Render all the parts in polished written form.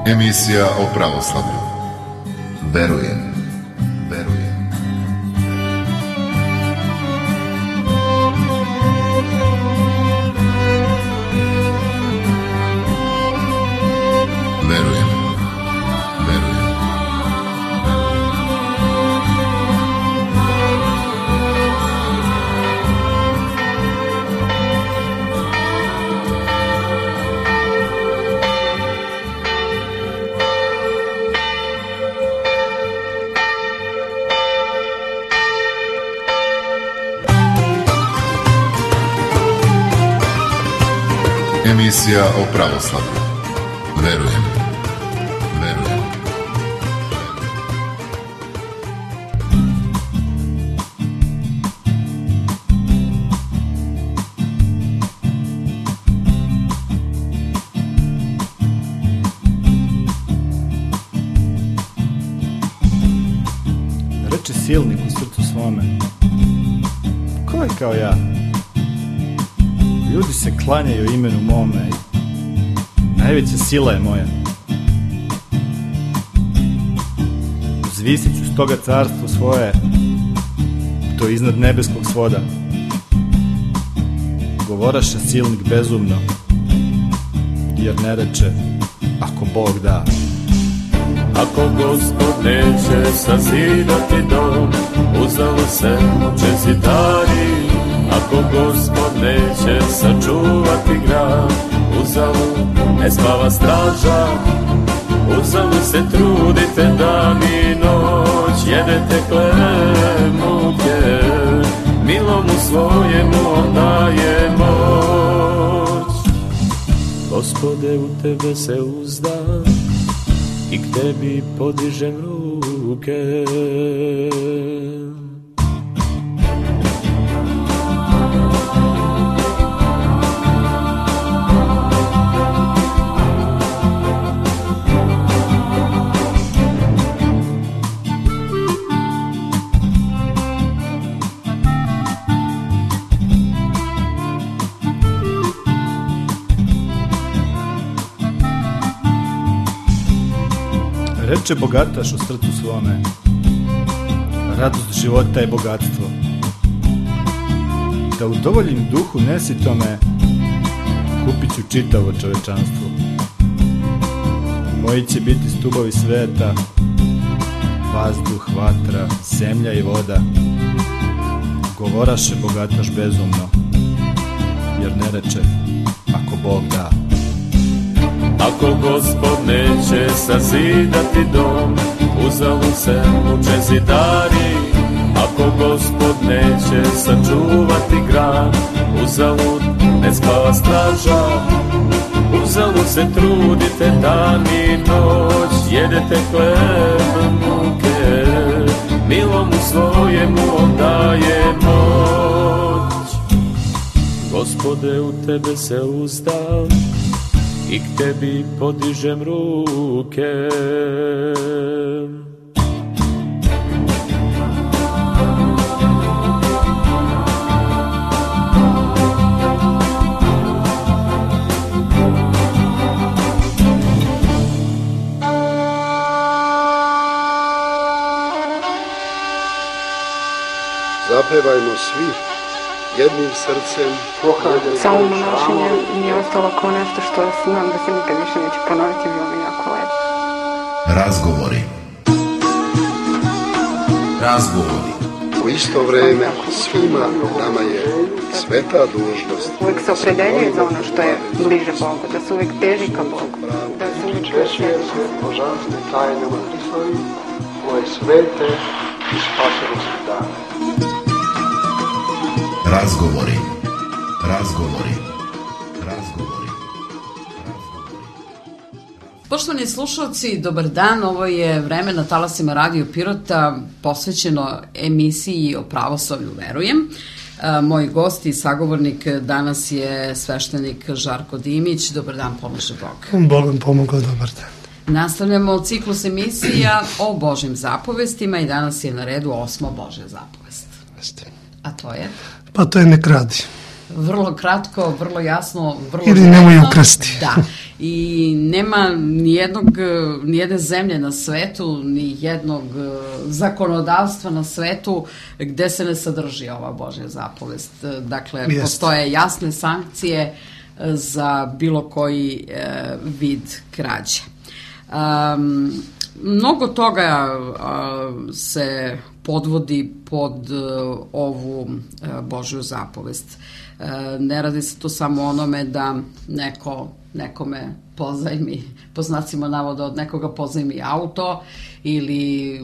Emisija o pravoslavlju. Verujem. Emisija o pravoslavlju. Verujem. Reče silnik u srcu svome: ko je kao ja? Ljudi se klanjaju imenu mome i najveća sila je moja. Uzvisit ću stoga carstvo svoje, to iznad nebeskog svoda. Govoraše silnik bezumno, jer ne reče ako Bog da. Ako Gospod neće sazidati dom, uzalo se muče zidari. Ako Gospod neće sačuvati grad, uzalud ne spava straža. Uzalud se trudite dan i noć, jedete hleb muke, milomu svojemu on daje moć. Gospode, u tebe se uzdam i k tebi podižem ruke. Reče bogataš u srcu svome: radost života je bogatstvo. Da udovoljim duhu nesitome, kupit ću čitavo čovečanstvo. Moji će biti stubovi sveta, vazduh, vatra, zemlja i voda. Govoraše bogataš bezumno, jer ne reče ako Bog da. Ako Gospod neće sazidati dom, uzalud se muče zidari. Ako Gospod neće sačuvati grad, uzalud ne spava straža. Uzalud se trudite dan i noć, jedete hleb muke, milomu svojemu on daje moć. Gospode, u tebe se uzdam i k tebi podižem ruke. Zapevajmo svi jednim srcem. Samo monašenje mi je ostalo kao nešto što znam da se nikad više neće ponoviti, bilo mi jako lepo. Razgovori. U isto vreme svima nama je sveta dužnost. Uvijek se opredeljuje za ono što je bliže Bogu, da se uvijek teži ka Bogu, da se uvijek češuje se božanstvene tajnama Hristovi, koje svete i spasonosne dane. Razgovori. Poštovani slušalci, dobar dan. Ovo je vreme na talasima Radio Pirota posvećeno emisiji o pravoslavlju Verujem. Moj gost i sagovornik danas je sveštenik Žarko Dimić. Dobar dan, pomože Bog. Bog vam pomogao, dobar dan. Nastavljamo ciklus emisija o Božim zapovestima i danas je na redu 8. Božja zapovest. A to je? Pa to je ne kradi. Vrlo kratko, vrlo jasno, vrlo ili nemoj ukrasti. Da. i nema nijedne zemlje na svetu, ni jednog zakonodavstva na svetu gde se ne sadrži ova Božja zapovest. Dakle, postoje jasne sankcije za bilo koji vid krađe. Mnogo toga se podvodi pod ovu Božju zapovest. Ne radi se to samo onome da neko nekome pozajmi, po znacima navoda od nekoga pozajmi auto ili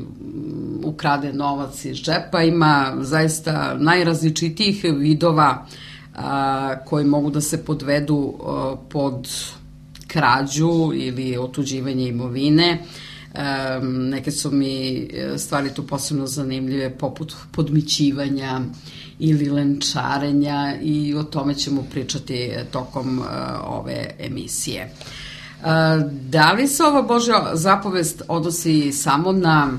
ukrade novac iz džepa. Ima zaista najrazličitijih vidova koji mogu da se podvedu pod krađu ili otuđivanje imovine. Neke su mi stvari tu posebno zanimljive, poput podmićivanja ili lenčarenja, i o tome ćemo pričati tokom ove emisije. Da li se ova Božja zapovest odnosi samo na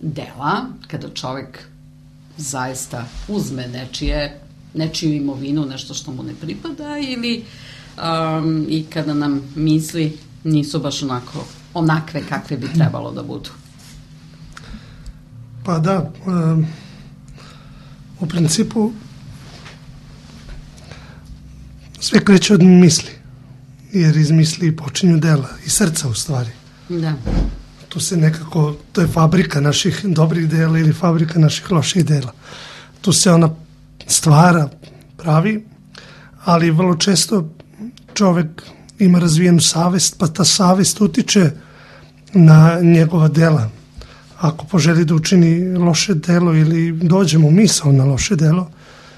dela, kada čovek zaista uzme nečiju imovinu, nešto što mu ne pripada, ili i kada nam misli nisu baš onakve kakve bi trebalo da budu? Pa da, u principu sve kreće od misli, jer iz misli počinju dela, i srca u stvari. Da. Tu se nekako, to je fabrika naših dobrih dela ili fabrika naših loših dela. Tu se ona stvara, pravi, ali vrlo često čovek ima razvijenu savest, pa ta savest utiče na njegova dela. Ako poželi da učini loše delo ili dođe mu misao na loše delo,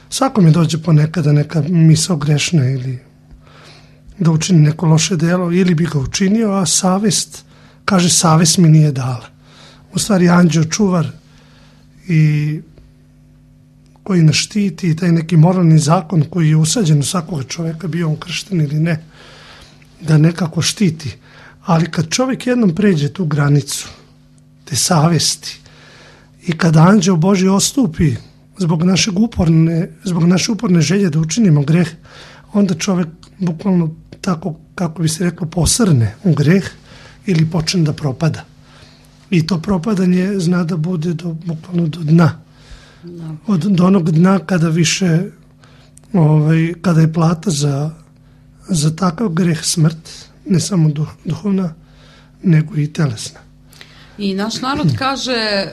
svakome dođe ponekada neka misao grešna ili da učini neko loše delo, ili bi ga učinio, a savest, kaže, savest mi nije dala. U stvari, anđeo čuvar i koji nas štiti, i taj neki moralni zakon koji je usađen u svakog čoveka, bio on kršten ili ne, da nekako štiti. Ali kad čovjek jednom pređe tu granicu te savesti i kad anđeo Božji ostupi zbog naše uporne želje da učinimo greh, onda čovjek bukvalno, tako kako bi se reklo, posrne u greh ili počne da propada. I to propadanje zna da bude bukvalno do dna. Do onog dna kada više, kada je plata za takav greh smrt, ne samo duhovna, nego i telesna. I naš narod kaže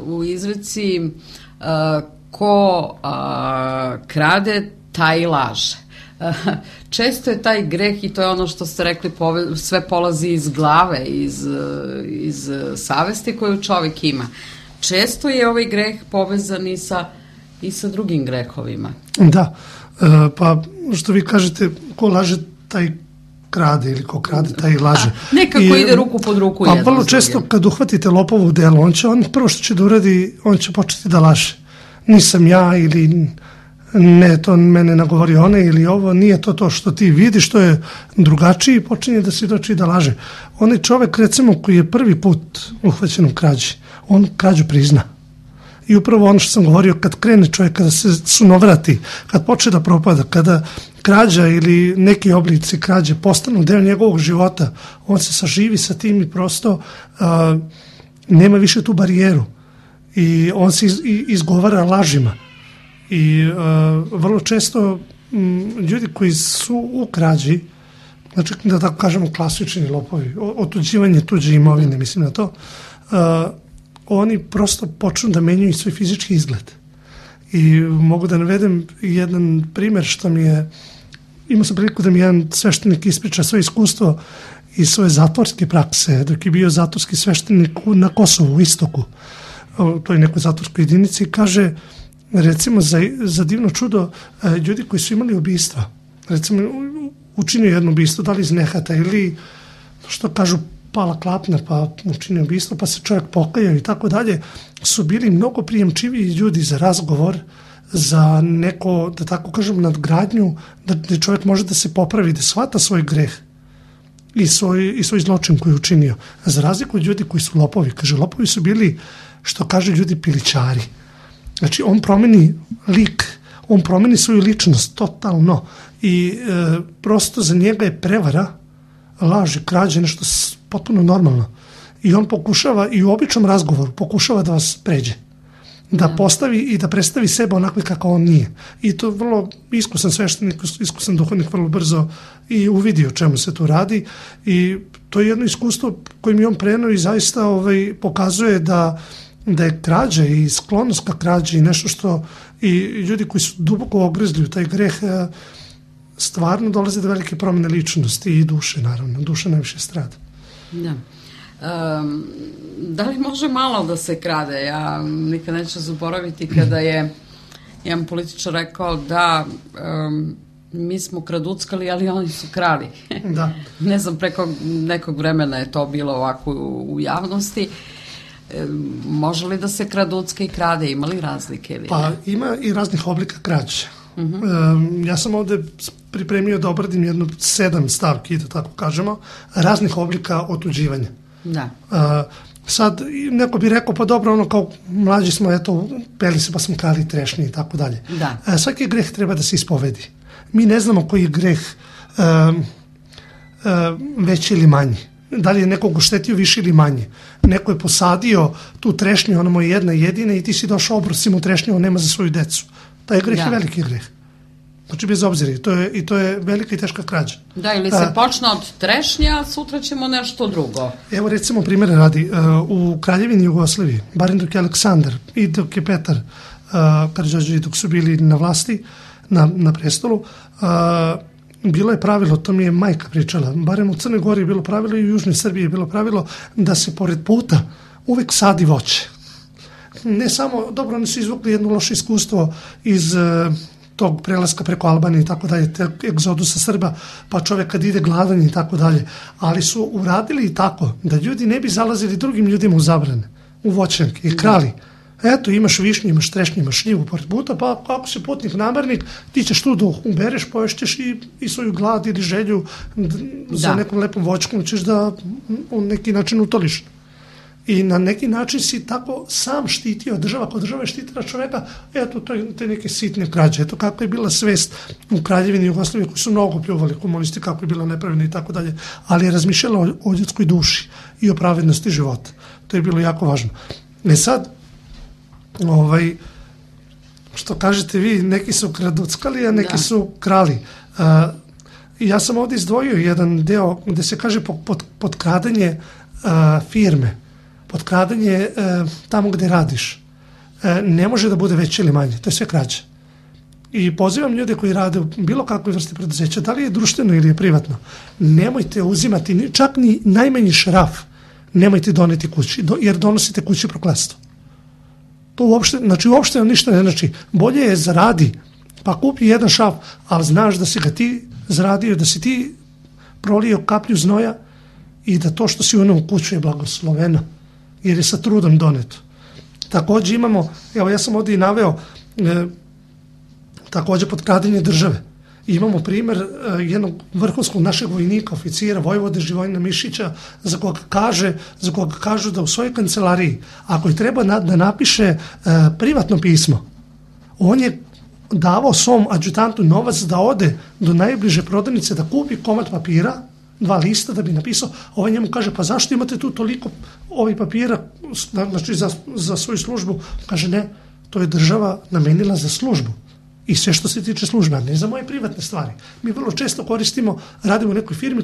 u izreci ko krade, taj laže. Često je taj greh, i to je ono što ste rekli, sve polazi iz glave, iz savesti koju čovjek ima. Često je ovaj greh povezan i sa drugim grehovima. Da, pa što vi kažete, ko laže, taj krade, ili ko krade, taj laže. Nekako ide ruku pod ruku jedno s drugim. Pa vrlo često kad uhvatite lopovu u delu, on prvo što će da uradi, on će početi da laže. Nisam ja, ili ne, to mene nagovori one ili ovo, nije to što ti vidiš, to je drugačiji, počinje da svjedoči da laže. Onaj čovek, recimo, koji je prvi put uhvaćen u krađi, on krađu prizna. I upravo ono što sam govorio, kad krene čovjek, kada se sunovrati, kad počne da propada, kada krađa ili neki oblici krađe postanu deo njegovog života, on se saživi sa tim i prosto nema više tu barijeru. I on se izgovara lažima. I vrlo često ljudi koji su u krađi, znači da tako kažemo klasični lopovi, otuđivanje tuđe imovine, mislim na to, oni prosto počnu da menjaju svoj fizički izgled. I mogu da navedem jedan primjer što mi je, imao sam priliku da mi jedan sveštenik ispriča svoje iskustvo iz svoje zatvorske prakse, dok je bio zatvorski sveštenik na Kosovu, u Istoku, to je nekoj zatvorskoj jedinici, i kaže, recimo, za divno čudo, ljudi koji su imali ubistva, recimo, učinio jedno ubistvo, da li iz nehata ili, što kažu, pala klapna, pa učinio ubistvo, pa se čovjek pokajao i tako dalje, su bili mnogo prijemčiviji ljudi za razgovor, za neko, da tako kažem, nadgradnju, da čovjek može da se popravi, da shvata svoj greh i svoj zločin koji je učinio. Za razliku od ljudi koji su lopovi, kaže, lopovi su bili, što kaže ljudi, pilićari. Znači, on promeni lik, on promeni svoju ličnost totalno i prosto za njega je prevara laži, krađe, nešto potpuno normalno. I on pokušava, i u običnom razgovoru, pokušava da vas pređe. Da postavi i da predstavi sebe onako kako on nije. I to vrlo iskusan sveštenik, iskusan duhovnik vrlo brzo i uvidi o čemu se tu radi. I to je jedno iskustvo koje mi on preneo i zaista pokazuje da je krađa i sklonost ka krađi i nešto što i ljudi koji su duboko ogrezli u taj greh stvarno dolaze do velike promjene ličnosti i duše, naravno. Duša najviše strada. Da. Da li može malo da se krade? Ja nikad neću zaboraviti kada je jedan političar rekao da mi smo kraduckali, ali oni su krali. Da. Ne znam, preko nekog vremena je to bilo ovako u javnosti. Može li da se kraducka i krade? Ima li razlike? Ili pa ima i raznih oblika krađe. Ja sam ovde pripremio da obradim 7 stavki, da tako kažemo, raznih oblika otuđivanja. Da. Sad, neko bi rekao, pa dobro, kao mlađi smo, peli se pa smo krali trešnje i tako dalje. Da. Svaki greh treba da se ispovedi. Mi ne znamo koji je greh veći ili manji. Da li je nekog oštetio više ili manje. Neko je posadio tu trešnju, ona mu je jedna jedina i ti si došao obrosi mu trešnju, on nema za svoju decu. Taj greh je veliki greh. Znači bez obzira, i to je velika i teška krađa. Da, ili se počne od trešnja, sutra ćemo nešto drugo. Evo recimo primjera radi, u Kraljevini Jugoslaviji, barem dok je Aleksandar i dok je Petar Karađorđević, dok su bili na vlasti, na prestolu, bilo je pravilo, to mi je majka pričala, barem u Crnoj Gori je bilo pravilo i u Južnoj Srbiji je bilo pravilo da se pored puta uvek sadi voće. Ne samo, dobro, oni su izvukli jedno loše iskustvo iz tog prelaska preko Albanije i tako dalje, egzodusa Srba, pa čovjek kad ide gladan i tako dalje, ali su uradili i tako da ljudi ne bi zalazili drugim ljudima u zabrane, u voćnjake i krali. Eto, imaš višnju, imaš trešnju, imaš šljivu pored puta, pa ako si putnik namernik, ti ćeš tu da ubereš, poješćeš i svoju glad ili želju za nekom lepom voćkom ćeš da u neki način utoliš. I na neki način si tako sam štitio država, kao država je štitila čoveka, eto, te neke sitne krađe. Eto kako je bila svest u Kraljevini Jugoslavije, koji su mnogo pljuvali komunisti, kako je bila nepravedna i tako dalje, ali je razmišljala o ljudskoj duši i o pravednosti života. To je bilo jako važno. Sad, što kažete vi, neki su kraduckali, a neki su krali. Ja sam ovdje izdvojio jedan deo gde se kaže potkradanje firme, potkradanje tamo gde radiš. Ne može da bude veće ili manje, to je sve krađa. I pozivam ljude koji rade u bilo kakvoj vrsti preduzeća, da li je društveno ili je privatno, nemojte uzimati čak ni najmanji šraf, nemojte doneti kući, jer donosite kući prokletstvo. To uopšte ništa ne znači. Bolje je zaradi, pa kupi jedan šraf, ali znaš da si ga ti zaradio, da si ti prolio kaplju znoja i da to što si u onom kuću je blagosloveno, jer je sa trudom doneto. Također imamo, evo ja sam ovdje i naveo, također potkradanje države. Imamo primjer jednog vrhunskog našeg vojnika, oficira, vojvode Živojina Mišića, za koga kažu da u svojoj kancelariji, ako je treba da napiše privatno pismo, on je davao svom adjutantu novac da ode do najbliže prodavnice da kupi komad papira, 2 lista da bi napisao, ovaj njemu kaže, pa zašto imate tu toliko ovih papira, znači za svoju službu? Kaže, ne, to je država namenila za službu. I sve što se tiče službe, a ne za moje privatne stvari. Mi vrlo često radimo u nekoj firmi,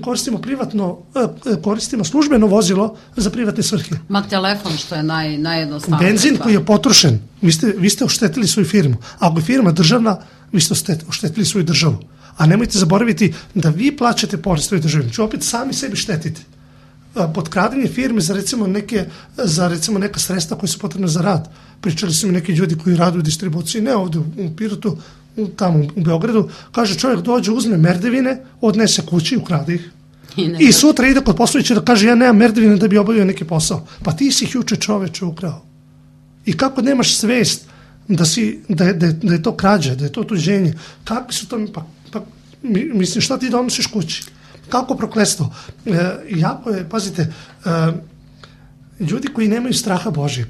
koristimo službeno vozilo za privatne svrhe. Ma telefon što je najjednostavnije. Benzin koji je potrošen, vi ste oštetili svoju firmu. Ako je firma državna, vi ste oštetili svoju državu. A nemojte zaboraviti da vi plaćate porez svojoj državi. Znači opet sami sebi štetite. Potkradanje firme za recimo neka sredstva koje su potrebne za rad. Pričali su mi neki ljudi koji rade u distribuciji, ne ovdje u Pirotu, tamo u Beogradu, kaže čovjek dođe, uzme merdevine, odnese kući, ukrade ih. I sutra ide kod poslovića da kaže ja nemam merdevine da bi obavio neki posao. Pa ti si ih juče čoveče ukrao. I kako nemaš svest da je to krađa, da je to tuđenje? Kakvi su to, mislim šta ti donosiš kući? Kako prokletstvo? Jako je, pazite, ljudi koji nemaju straha Božjeg,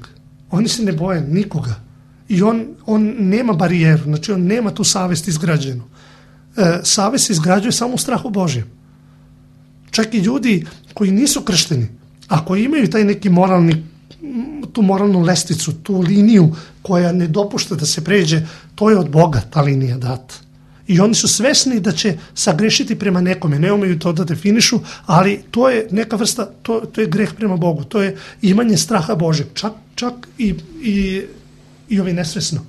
oni se ne boje nikoga. I on nema barijeru, znači on nema tu savest izgrađenu. Savest se izgrađuje samo u strahu Božjem. čak i ljudi koji nisu kršteni, ako imaju taj neki tu moralnu lestvicu, tu liniju koja ne dopušta da se pređe, to je od Boga ta linija data. I oni su svesni da će sagrešiti prema nekome, ne umeju to da definišu, ali to je neka vrsta, to je greh prema Bogu, to je imanje straha Božeg, čak i ovi nesvesno.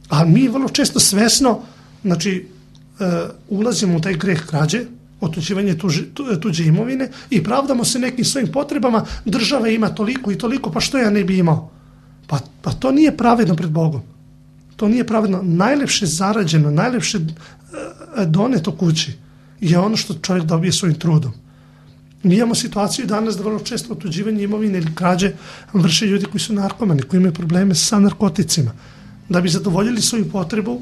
A mi vrlo često svesno, znači, ulazimo u taj greh krađe, otuđivanje tuđe imovine i pravdamo se nekim svojim potrebama, država ima toliko i toliko, pa što ja ne bi imao? Pa to nije pravedno pred Bogom. To nije pravedno. Najlepše zarađeno, najlepše doneto kući je ono što čovjek dobije svojim trudom. Mi imamo situaciju danas da vrlo često otuđivanje imovine ili krađe vrše ljudi koji su narkomani, koji imaju probleme sa narkoticima. Da bi zadovoljili svoju potrebu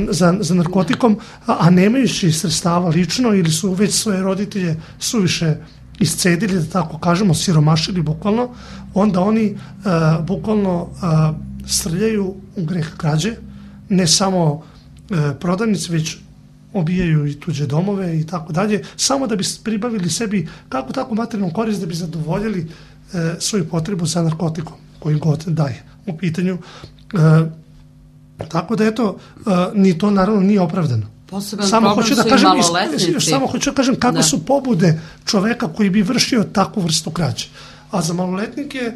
za narkotikom, a nemajući sredstava lično ili su već svoje roditelje suviše iscedili, da tako kažemo, siromašili bukvalno, onda oni bukvalno srljaju u greh krađe, ne samo prodavnice, već obijaju i tuđe domove i tako dalje, samo da bi pribavili sebi kako tako materijalnu korist da bi zadovoljili svoju potrebu za narkotikom koji god daje u pitanju. Tako da eto, ni to naravno nije opravdano. Poseban problem su i maloletnici. Samo hoću da kažem kako su pobude čoveka koji bi vršio takvu vrstu krađe. A za maloletnike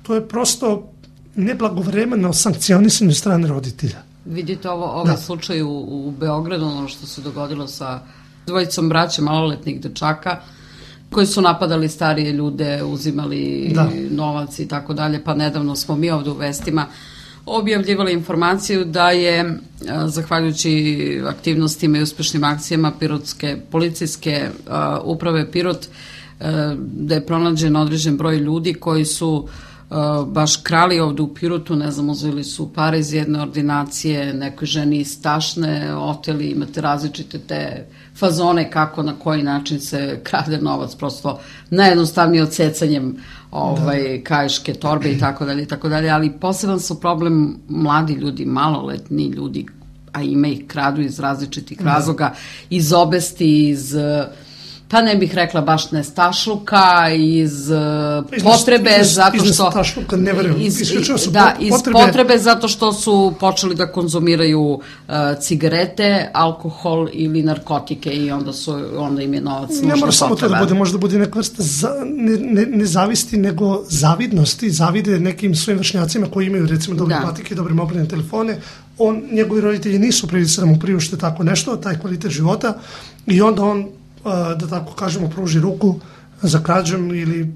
to je prosto neblagovremeno sankcionisanje strane roditelja. Vidite ovaj slučaj u Beogradu, ono što se dogodilo sa dvojicom braće maloletnih dečaka koji su napadali starije ljude, uzimali novac i tako dalje, pa nedavno smo mi ovde u vestima objavljivali informaciju da je, zahvaljujući aktivnostima i uspešnim akcijama Pirotske policijske uprave Pirot, da je pronađen određen broj ljudi koji su baš krali ovde u Pirotu, ne znam, uzeli su pare iz jedne ordinacije, nekoj ženi iz Tašne, oteli, imate različite te fazone kako, na koji način se krade novac, prosto najjednostavnije odsecanjem kaiške torbe i tako dalje, ali poseban su problem mladi ljudi, maloletni ljudi, a ima ih, kradu iz različitih razloga, iz obesti, iz pa ne bih rekla baš nestašluka, iz potrebe zato što... Iz nestašluka, ne verujem. Iz potrebe zato što su počeli da konzumiraju cigarete, alkohol ili narkotike i onda im je novac nužno potreba. Ne mora samo to da bude, možda bude neka vrsta ne zavisti, nego zavidnosti, zavide nekim svojim vršnjacima koji imaju recimo dobre patike, dobre mobilne telefone. Njegovi roditelji nisu prilici da mu priušte tako nešto, taj kvalitet života, i onda on, da tako kažemo, pruži ruku za krađom ili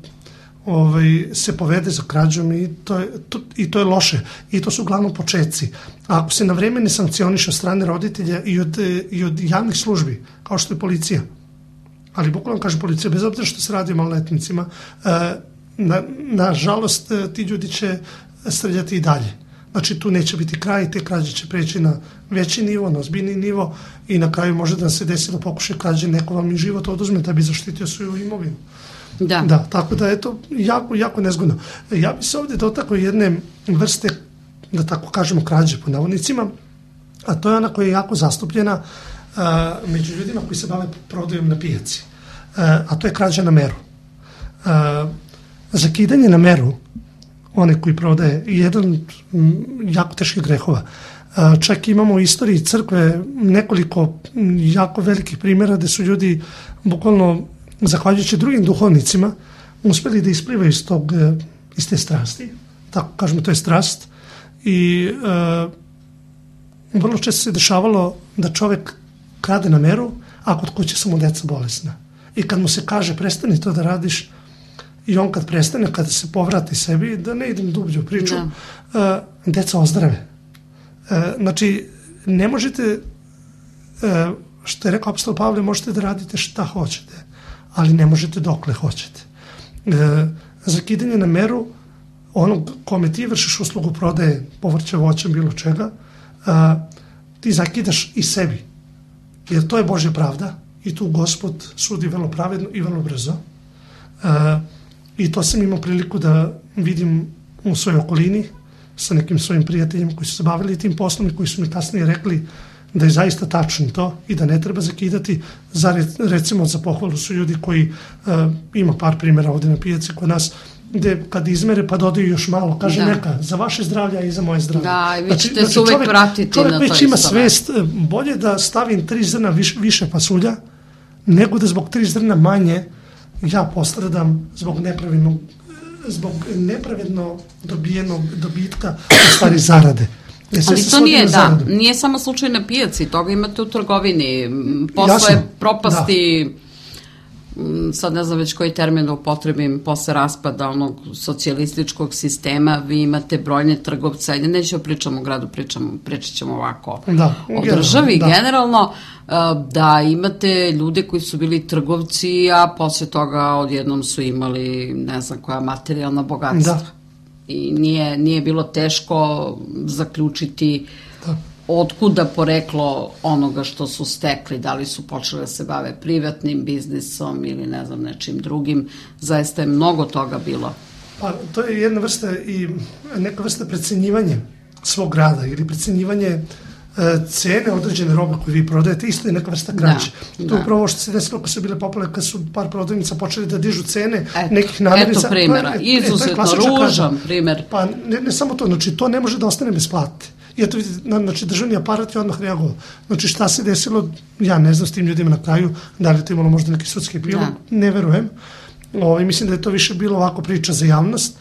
se povede za krađom i to je loše. I to su uglavnom početci. A ako se na vreme ne sankcioniše od strane roditelja i od javnih službi, kao što je policija, ali bukvalno kažem policija, bez obzira što se radi o maloletnicima, nažalost ti ljudi će srljati i dalje. Znači tu neće biti kraj, te krađe će preći na veći nivo, na ozbiljni nivo i na kraju može da se desi da pokuša krađe, neko vam i život oduzme da bi zaštitio svoju imovinu. Da, tako da je to jako, jako nezgodno. Ja bi se ovdje dotakao jedne vrste, da tako kažemo, krađe po navodnicima, a to je ona koja je jako zastupljena među ljudima koji se bave prodajom na pijaci. A to je krađa na meru. Zakidanje na meru, one koji prodaje, jedan jako teških grehova. Čak imamo u istoriji crkve nekoliko jako velikih primjera gde su ljudi bukvalno, zahvaljujući drugim duhovnicima, uspeli da isplivaju iz te strasti. Tako kažemo, to je strast. I vrlo često se dešavalo da čovek krade na meru, a kod kuće su mu deca bolesna. I kad mu se kaže prestani to da radiš, i on kad prestane, kada se povrati sebi, da ne idem dublje u priču, deca ozdrave. Znači, ne možete, što je rekao apostol Pavle, možete da radite šta hoćete, ali ne možete dokle hoćete. Zakidanje na meru, onog kome ti vršiš uslugu prodaje povrća, voća, bilo čega, ti zakidaš i sebi. Jer to je Božja pravda i tu Gospod sudi vrlo pravedno i vrlo brzo. I to sam imao priliku da vidim u svojoj okolini sa nekim svojim prijateljima koji su se bavili tim poslom i koji su mi kasnije rekli da je zaista tačno to i da ne treba zakidati. Recimo za pohvalu su ljudi koji, ima par primjera ovdje na pijaci kod nas, gde kad izmere pa dodaju još malo, kaže neka, za vaše zdravlje i za moje zdravlje. Da, i vi ćete se uvek pratiti čovjek na to. Čovjek već ima svest, bolje da stavim 3 zrna više pasulja, nego da zbog 3 zrna manje ja postradam zbog nepravedno dobijenog dobitka u stvari zarade. Ali to nije samo slučaj na pijaci, toga imate u trgovini, posle propasti, sad ne znam već koji termin da upotrebim, posle raspada onog socijalističkog sistema, vi imate brojne trgovce, ajde nećemo pričamo o gradu, pričat ćemo ovako o državi generalno, da imate ljude koji su bili trgovci, a posle toga odjednom su imali ne znam koja materijalna bogatstva. I nije bilo teško zaključiti otkuda poreklo onoga što su stekli, da li su počeli da se bave privatnim biznisom ili ne znam nečim drugim, zaista je mnogo toga bilo. Pa to je jedna vrsta i neka vrsta precenjivanja svog rada ili precenjivanje cene određene robe koju vi prodajete, isto je neka vrsta krađe. To je upravo što se desilo kad su bile popularne, kad su par prodavnica počeli da dižu cene nekih namirnica. Eto primjera, izuzetno ružan primjer. Pa ne samo to, znači to ne može da ostane bez plate. I eto vidite, znači državni aparat je odmah reagovao. Znači šta se desilo, ja ne znam s tim ljudima na kraju, da li je to imalo možda neki sudski epilog, ne verujem. Mislim da je to više bilo ovako priča za javnost.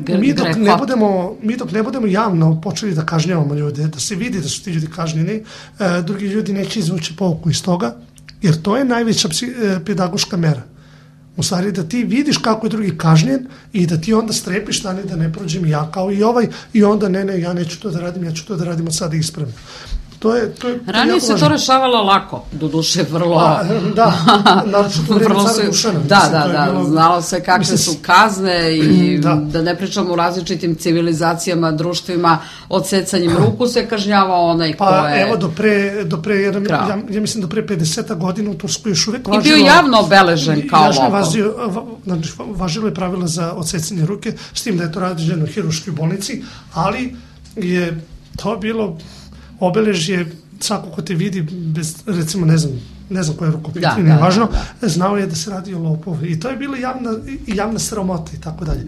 Mi dok ne budemo javno počeli da kažnjavamo ljude, da se vidi da su ti ljudi kažnjeni, drugi ljudi neće izvući pouku iz toga, jer to je najveća pedagoška mera. U stvari da ti vidiš kako je drugi kažnjen i da ti onda strepiš da ne prođem ja kao i ovaj i onda ne, ja neću to da radim, ja ću to da radim od sada ispravno. Ranije se to rešavalo lako, doduše vrlo... naročito u vreme cara Dušana. Da, znalo se kakve su kazne i da ne pričamo u različitim civilizacijama, društvima, odsecanjem ruku se kažnjavao onaj ko je... Pa evo, do pre, ja mislim do pre 50 godina u Turskoj još uvek važilo... I bio javno obeležen kao lopov. Važilo je pravila za odsecanje ruke, s tim da je to rađeno u hirurškoj bolnici, ali je to bilo... obeležje, svako ko te vidi, bez, recimo, ne znam koja je rukopit, nije važno, znao je da se radi o lopovi. I to je bila javna sramota i tako dalje.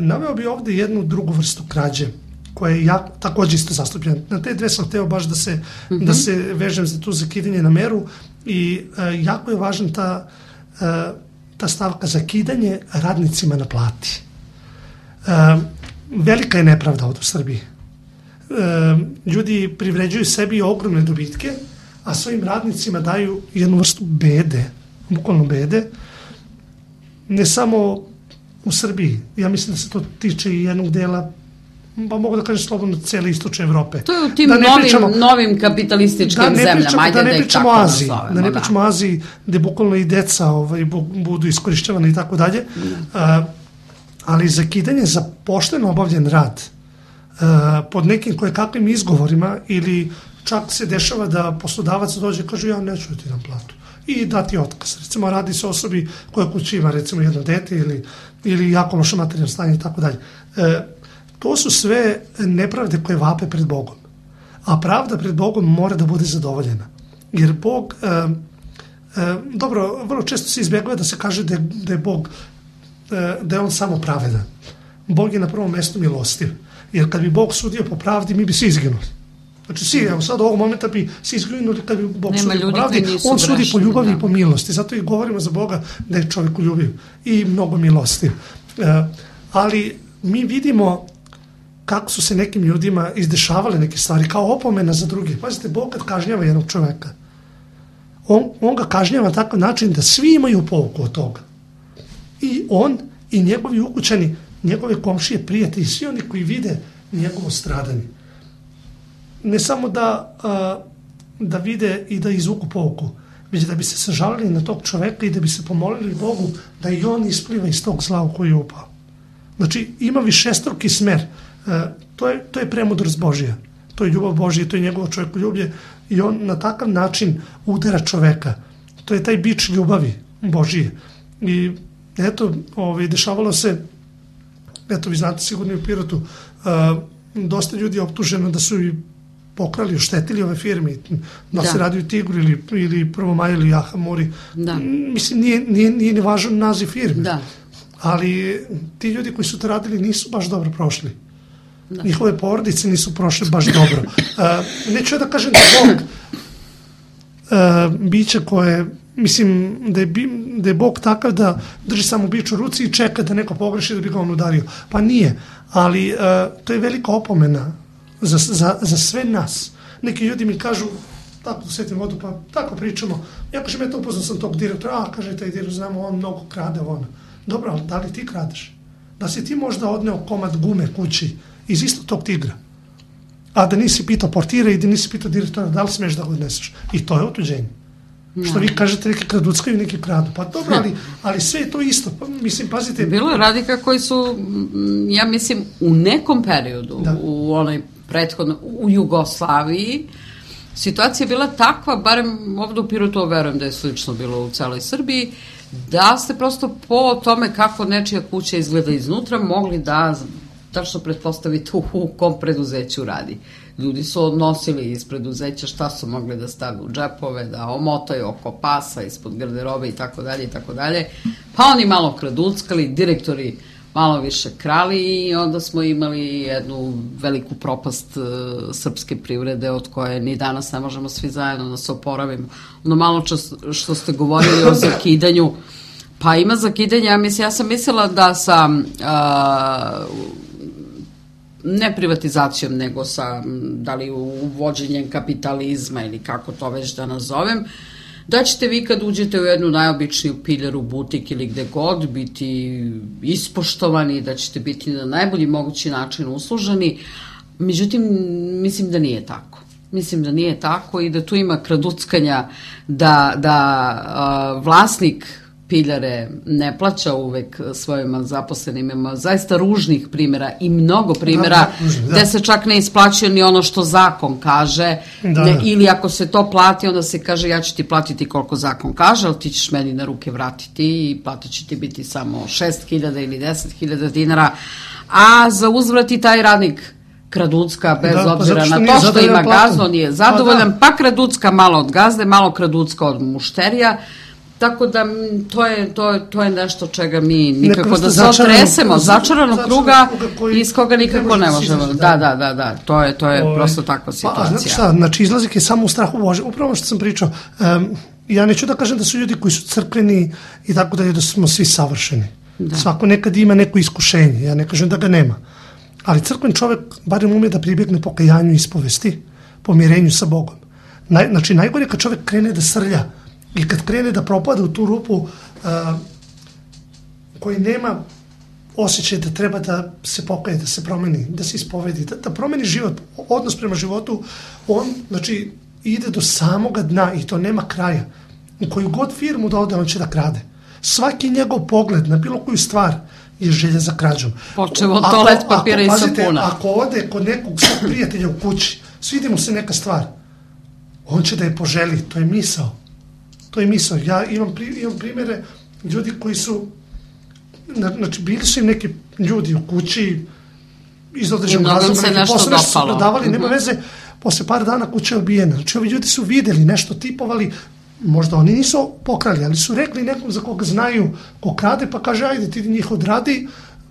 Naveo bi ovde jednu drugu vrstu krađe, koja je takođe isto zastupljena. Na te dve sam hteo baš da se vežem za tu zakidanje na meru i jako je važna ta stavka zakidanje radnicima na plati. Velika je nepravda ovde u Srbiji. Ljudi privređuju sebi ogromne dobitke, a svojim radnicima daju jednu vrstu bede, bukvalno bede, ne samo u Srbiji. Ja mislim da se to tiče i jednog dela, pa mogu da kažem slobodno, cijele istočne Evrope. To je u tim novim kapitalističkim zemljama, ajde da ih tako nazovemo. Da ne pričamo o Aziji, gde bukvalno i deca budu iskorišćavane i tako dalje, ali zakidanje za pošteno obavljen rad pod nekim kakvim izgovorima ili čak se dešava da poslodavac dođe i kaže ja neću da ti dam platu i dati otkaz. Recimo radi se o osobi koja kući ima recimo jedno dete ili jako loše materijalno stanje i tako dalje. To su sve nepravde koje vape pred Bogom. A pravda pred Bogom mora da bude zadovoljena. Jer Bog, dobro, vrlo često se izbjegava da se kaže da je Bog, da je on samo pravedan. Bog je na prvom mestu milostiv. Jer kad bi Bog sudio po pravdi, mi bi svi izginuli. Znači svi, evo sad u ovog momenta bi svi izginuli kad bi Bog sudio po pravdi. On sudi po ljubavi i po milosti. Zato i govorimo za Boga da je čovjek ljubiv i mnogo milostiv. Ali mi vidimo kako su se nekim ljudima izdešavale neke stvari kao opomena za druge. Pazite, Bog kad kažnjava jednog čovjeka, on ga kažnjava na takav način da svi imaju pouku od toga. I on i njegovi ukućani, njegove komšije, prijatelji, svi oni koji vide njegovo stradanje. Ne samo da vide i da izvuku pouku, već da bi se sažalili na tog čoveka i da bi se pomolili Bogu da i on ispliva iz tog zla u koji je upao. Znači, ima višestruki smer. To je premudrost Božja. To je ljubav Božja, to je njegovo čovjekoljublje i on na takav način udara čoveka. To je taj bič ljubavi Božije. I eto, dešavalo se, eto vi znate sigurno u Pirotu, dosta ljudi je optuženo da su pokrali, oštetili ove firme, da se radi o Tigru ili Prvomaju ili Jahamori. Mislim, nije ni važan naziv firme. Ali ti ljudi koji su to radili nisu baš dobro prošli. Njihove porodice nisu prošle baš dobro. Neću da kažem da Bog biće koje, mislim da je Bog takav da drži samo bić u ruci i čeka da neko pogreši da bi ga on udario. Pa nije, ali to je velika opomena za sve nas. Neki ljudi mi kažu, tako setim vodu, pa tako pričamo, ja kažem, eto upoznao sam tog direktora, kaže taj direktor, znamo, on mnogo krade, dobro, ali da li ti kradeš? Da si ti možda odneo komad gume kući iz istog tog Tigra, a da nisi pitao portira i da nisi pitao direktora da li smeš da ga odneseš. I to je otuđenje. Što vi kažete, neki kraduckaju, neki kradu. Pa dobro, ali sve je to isto. Mislim, pazite... Bilo je radnika koji su, ja mislim, u nekom periodu, u onoj prethodno, u Jugoslaviji, situacija je bila takva, barem ovdje u Pirotu, verujem da je slično bilo u celoj Srbiji, da ste prosto po tome kako nečija kuća izgleda iznutra mogli da tačno pretpostavite u kom preduzeću radi. Ljudi su odnosili iz preduzeća šta su mogli da stave u džepove, da omotaju oko pasa, ispod garderobe i tako dalje. Pa oni malo kraduckali, direktori malo više krali i onda smo imali jednu veliku propast srpske privrede od koje ni danas ne možemo svi zajedno da se oporavimo. Ono malo što ste govorili o zakidanju, pa ima zakidanja, ja sam mislila da sa ne privatizacijom, nego sa da li uvođenjem kapitalizma ili kako to već da nazovem, da ćete vi kad uđete u jednu najobičniju piljaru, butik ili gde god biti ispoštovani, da ćete biti na najbolji mogući način usluženi. Međutim, mislim da nije tako. Mislim da nije tako i da tu ima kraduckanja, da vlasnik piljare ne plaća uvek svojima zaposlenima. Ima zaista ružnih primjera i mnogo primjera gde se čak ne isplaćuje ni ono što zakon kaže, ili ako se to plati, onda se kaže ja ću ti platiti koliko zakon kaže, ali ti ćeš meni na ruke vratiti i platit će ti biti samo 6.000 ili 10.000 dinara, a za uzvrat i taj radnik kraducka, bez obzira na to što ima gazdu, nije zadovoljan, pa kraducka malo od gazde, malo kraducka od mušterija. Tako da to je nešto čega mi nikako da se otresemo, začaranog kruga iz koga nikako ne možemo. Da, to je prosto takva situacija. Znači izlazak je samo u strahu Bože. Upravo što sam pričao, ja neću da kažem da su ljudi koji su crkveni i tako da smo svi savršeni. Svako nekad ima neko iskušenje, ja ne kažem da ga nema. Ali crkven čovek barem ume da pribjegne pokajanju i ispovesti, pomirenju sa Bogom. Znači najgore kad čovek krene da srlja i kad krene da propada u tu rupu koji nema osjećaj da treba da se pokaje, da se promeni, da se ispovedi, da promeni život, odnos prema životu, on znači ide do samoga dna i to nema kraja. U koju god firmu da ode, on će da krade. Svaki njegov pogled na bilo koju stvar je želja za krađom. Počeo od toalet papira i sapuna. Ako ode kod nekog svog prijatelja u kući, svidi mu se neka stvar, on će da je poželi, to je misao. To je misao. Ja imam primjere ljudi koji su, znači bili su im neki ljudi u kući iz određenog razloga, neki posle nešto su prodavali, nema veze, posle par dana kuća je obijena. Znači ovi ljudi su videli, nešto tipovali, možda oni nisu pokrali, ali su rekli nekom za koga znaju ko krade, pa kaže ajde ti njih odradi,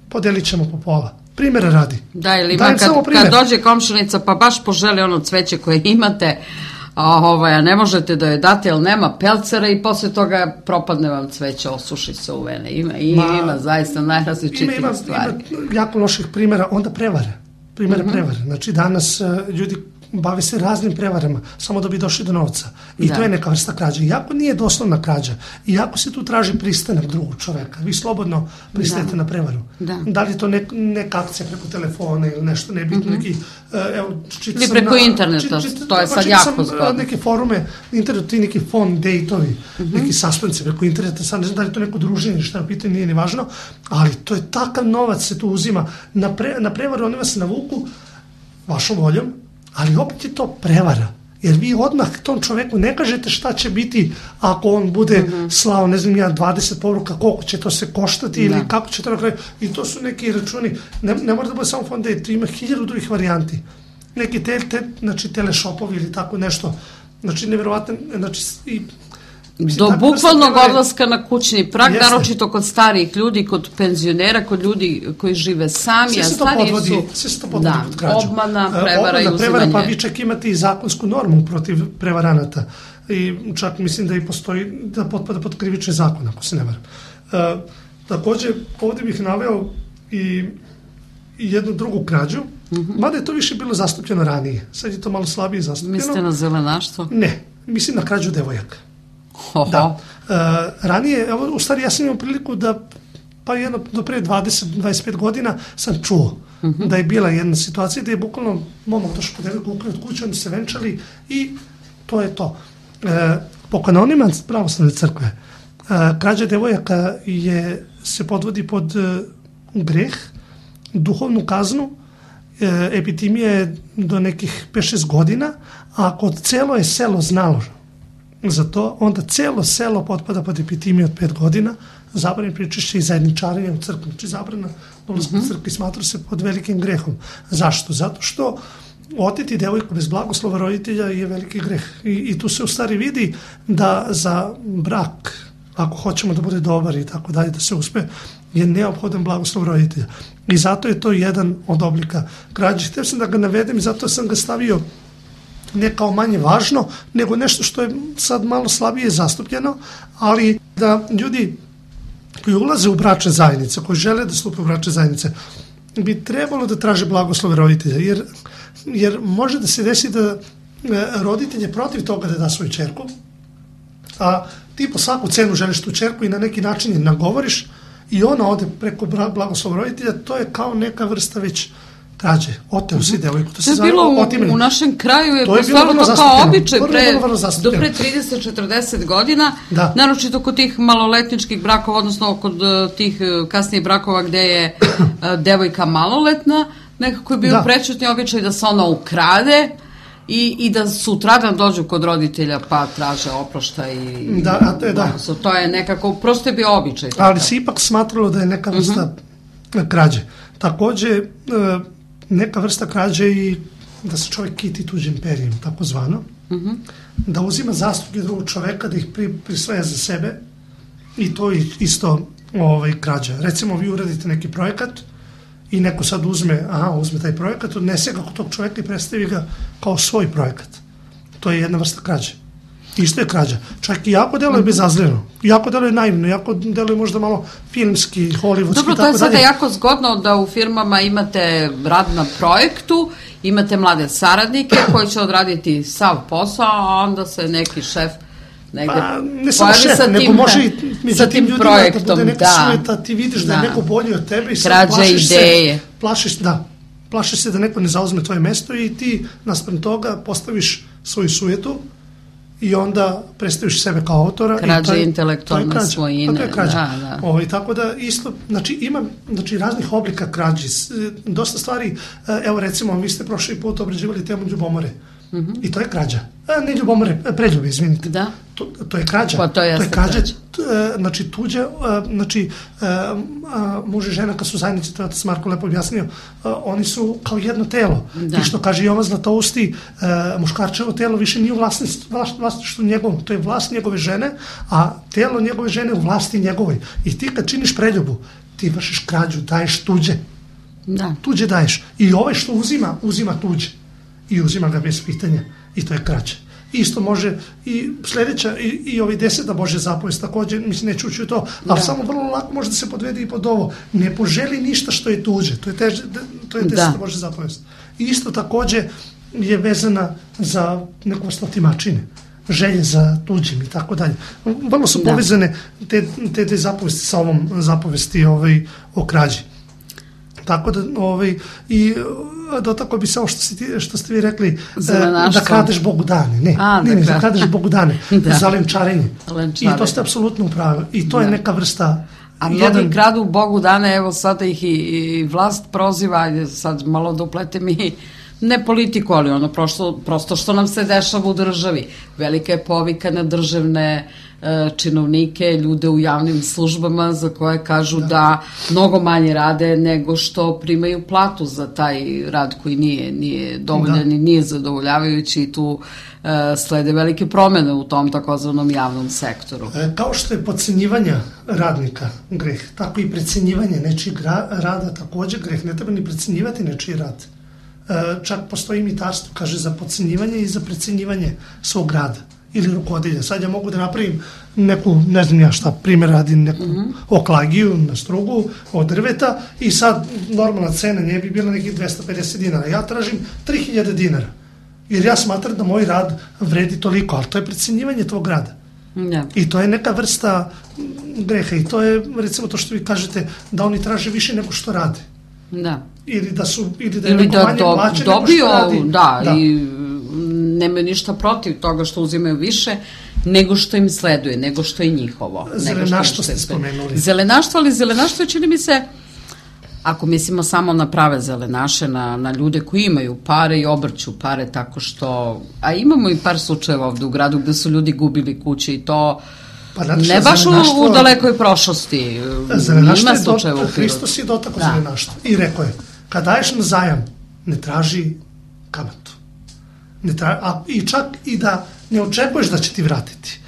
podelit ćemo po pola. Primjera radi. Da, ili kad dođe komšinica pa baš poželi ono cveće koje imate, a ne možete da joj date, jer nema pelcera i posle toga propadne vam cveće, osuši se u vene. Ima zaista najrazličitih stvari. Ima jako loših primjera, onda prevare. Prevare. Znači danas ljudi bave se raznim prevarama, samo da bi došli do novca. I to je neka vrsta krađa. Iako nije doslovna krađa, iako se tu traži pristanak drugog čoveka, vi slobodno pristajete na prevaru. Da li je to neka akcija preko telefona ili nešto nebitno, neki... Ili preko interneta, to je sad jako zgodno. Neke forume, internet, ti neki phone date-ovi, neki suspense preko interneta, sad ne znam da li je to neko druženje, šta na pitanje, nije ni važno, ali to je takav novac se tu uzima. Na prevaru oni vas navuku vašom voljom, ali opet je to prevara, jer vi odmah tom čoveku ne kažete šta će biti ako on bude slao, ne znam, 20 poruka, koliko će to se koštati ili kako će to na kraju, i to su neki računi, ne mora da bude samo fond date, ima 1000 drugih varijanti. neki znači teleshopovi ili tako nešto, znači nevjerovatno, znači i do bukvalnog odlaska na kućni prag, naročito kod starijih ljudi, kod penzionera, kod ljudi koji žive sami, a stariji su... Sve se to podvodi pod krađu. Obmana, prevara i uzimanje. Pa vi čak imate i zakonsku normu protiv prevaranata. I čak mislim da i postoji, da potpada pod krivični zakon, ako se ne varam. Takođe, ovdje bih naveo i jednu drugu krađu, mada je to više bilo zastupljeno ranije. Sad je to malo slabije zastupljeno. Mislite na zelenaštvo? Ne, mislim na krađu devojaka. Oho. Da. Ranije, evo, u stvari ja sam imao priliku da, pa jedno do pre 20-25 godina sam čuo da je bila jedna situacija da je bukvalno momak došao po devojku ukrat kuću, oni se venčali i to je to. Po kanonima pravoslavne crkve, krađa devojaka se podvodi pod greh, duhovnu kaznu, epitimija je do nekih 5-6 godina, a ako celo je selo znalo za to, onda celo selo potpada pod epitimiju od 5 godina, zabrane pričešće i zajedničarenje u crkvi, znači zabrana dolazka u crkvi smatra se pod velikim grehom. Zašto? Zato što oteti devojku bez blagoslova roditelja je veliki greh. I tu se u stvari vidi da za brak, ako hoćemo da bude dobar i tako dalje, da se uspe, je neophodan blagoslov roditelja. I zato je to jedan od oblika krađe. Htio sam da ga navedem i zato sam ga stavio ne kao manje važno, nego nešto što je sad malo slabije zastupljeno, ali da ljudi koji ulaze u bračne zajednice, koji žele da stupe u bračne zajednice, bi trebalo da traže blagoslove roditelja, jer može da se desi da roditelj je protiv toga da da svoju ćerku, a ti po svaku cenu želiš tu ćerku i na neki način je nagovoriš i ona ode preko blagoslova roditelja, to je kao neka vrsta već krađe, oteo si devojku. To je bilo u našem kraju, je postojalo to kao običaj do pre 30-40 godina, naročito kod tih maloletničkih brakova, odnosno kod tih kasnijih brakova gde je devojka maloletna, nekako je bio prečutni običaj da se ona ukrade i da sutradan dođu kod roditelja pa traže oproštaj i to je nekako, prosto je bio običaj. Ali se ipak smatralo da je neka vrsta krađe. Takođe, neka vrsta krađe i da se čovjek kiti tuđim perijem, tako zvano, da uzima zastupke drugog čoveka, da ih prisvaja za sebe i to je isto krađa. Recimo, vi uradite neki projekat i neko sad uzme taj projekat, odnese ga kod tog čoveka i predstavi ga kao svoj projekat. To je jedna vrsta krađe. Isto je krađa. Čak i jako deluje bezazleno, jako deluje naivno, jako deluje možda malo filmski, hollywoodski. Dobro, to je sada jako zgodno da u firmama imate rad na projektu, imate mlade saradnike koji će odraditi sav posao, a onda se neki šef negde ne samo šef, nego može i među tim ljudima da bude neka sueta, ti vidiš da je neko bolji od tebe i sad plašiš se da neko ne zauzme tvoje mesto i ti naspram toga postaviš svoju sujetu i onda predstaviš sebe kao autora. Krađa intelektualne svojine. To je krađa. Tako da isto, znači ima raznih oblika krađi. Dosta stvari, evo recimo, vi ste prošli put obrađivali temu ljubomore. I to je krađa. Ne ljubomore, preljube, izvinite. Da. To je krađa. Pa to je krađa. Znači tuđe, znači muž i žena kad su zajednici, to je otac Marko lepo objasnio, oni su kao jedno telo. I što kaže Jovan Zlatousti, muškarčevo telo više nije u vlasništvu njegovom, to je vlast njegove žene, a telo njegove žene u vlasti njegovoj. I ti kad činiš preljubu, ti vršiš krađu, daješ tuđe. Da. Tuđe daješ. I ovaj što uzima tuđe. I uzima ga bez pitanja. I to je krađa. Isto može i sledeća i ovi 10. Božja zapovest također, mislim neću ući u to, ali samo vrlo lako može da se podvede i pod ovo. Ne poželi ništa što je tuđe. To je 10. Božja zapovest. I isto također je vezana za neku vrstu otimačine. Želje za tuđim i tako dalje. Vrlo su povezane te zapovesti sa ovom zapovesti o krađi. Tako da, i dotakao bi se ovo što ste vi rekli, da kradeš Bogu dane. Ne, da kradeš Bogu dane, za lenčarenje. I to ste apsolutno upravi. I to je neka vrsta... A mnogi kradu Bogu dane, evo sada ih i vlast proziva, sad malo da uplete mi ne politiku, ali ono prosto što nam se dešava u državi. Velika je povika na državne činovnike, ljude u javnim službama za koje kažu da mnogo manje rade nego što primaju platu za taj rad koji nije dovoljan i nije zadovoljavajući i tu slede velike promene u tom takozvanom javnom sektoru. Kao što je podcenjivanje radnika greh, tako i precenjivanje nečijeg rada takođe greh. Ne treba ni precenjivati nečiji rad. Čak postoji imitarstvo, kaže, za podcenjivanje i za precenjivanje svog rada ili rukovodilja. Sad ja mogu da napravim neku, ne znam ja šta, primjer radim neku oklagiju na strugu od drveta i sad normalna cena nje bi bila nekih 250 dinara. Ja tražim 3000 dinara. Jer ja smatram da moj rad vredi toliko, ali to je precenjivanje tvog rada. Da. I to je neka vrsta greha i to je, recimo, to što vi kažete, da oni traže više nego što rade. Da. Ili da je neko manje plaće nego što radi. Da, i nemaju ništa protiv toga što uzimaju više nego što im sleduje, nego što je njihovo. Zelenaštvo ste spomenuli. Zelenaštvo, ali zelenaštvo čini mi se, ako mislimo samo na prave zelenaše, na ljude koji imaju pare i obrću pare tako što... A imamo i par slučajeva ovde u gradu gde su ljudi gubili kuće i to ne baš u dalekoj prošlosti. Ima slučajeva u Pirotu. Hristos je dotakao zelenaštvo i rekao je, kad daješ na zajam, ne traži kamatu. I čak i da ne očekuješ da će ti vratiti.